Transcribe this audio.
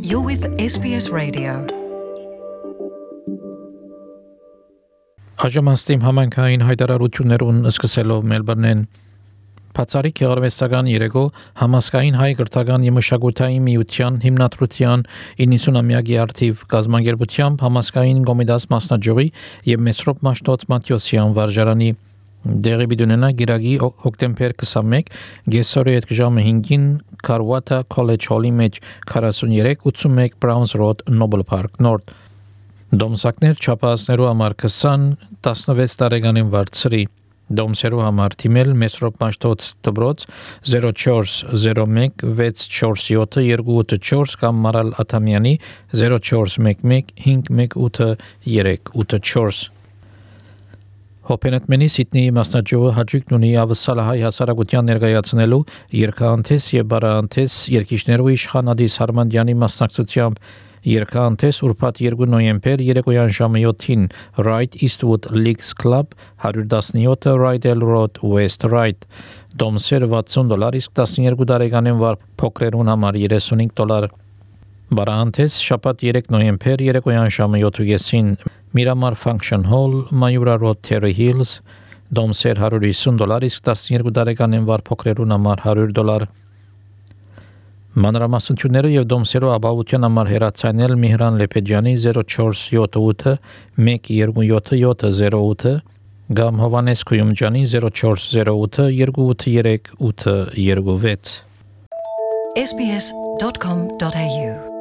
You're with SBS Radio. Աժամաստիմ համանքային հայտարարություններուն սկսելով Մելբուրնեն Բացառիկ գեղարվեստական երեկո համասկային հայ կրթական և մշակութային միության հիմնադրության 90-ամյակի արդիվ կազմակերպությամբ համասկային Կոմիտաս մասնաճյուղի և Մեսրոպ Մաշտոց Մատյոսյան վարժարանի դեղի բիդունենա գիրագի հոկտեմբեր 21 գեսորի հետ ժամը 5-ին Կարվատա College Hall-ի մեջ 4381 Browns Road Noble Park North Դոմսակներ չափահասներու համար 20-16 տարեկանին վարձրի Դոմսերու համար թիմել Մեսրոպ Մաշտոց դբրոց 0401 647 284 կամ Մարալ Աթամյանի 0411 518 Հոպենետմենի Սիդնեի մասնաճյուղը հաջիկ ունի ավսալահայ հասարակության ներկայացնելու երկհանտես և բարահանտես երկիշներու իշխանադիս Հարմանդյանի մասնակցությամբ երկհանտես ուրբաթ 2 նոյեմբեր երեկոյան ժամը 7-ին Right Eastwood Leagues Club 117 Rydell Road West Right Դոմսեր $60 իսկ 12 տարեկանին վար փոքրերուն համար $35 Բարահանտես շաբաթ 3 նոյեմբեր երեկոյան ժամը 7:30-ին Miramar Function Hall, Mayura Road, Terry Hills, Դոմսեր $150 իսկ 12 տարեկանին վար փոքրերուն համար $100 Մանրամասնությունները եւ Դոմսերու ապահովության համար հեռացանել Միհրան Լեփեջյանի 0478 127 կամ Հովանես Քույումջանի 0408 283 826 SBS.com.au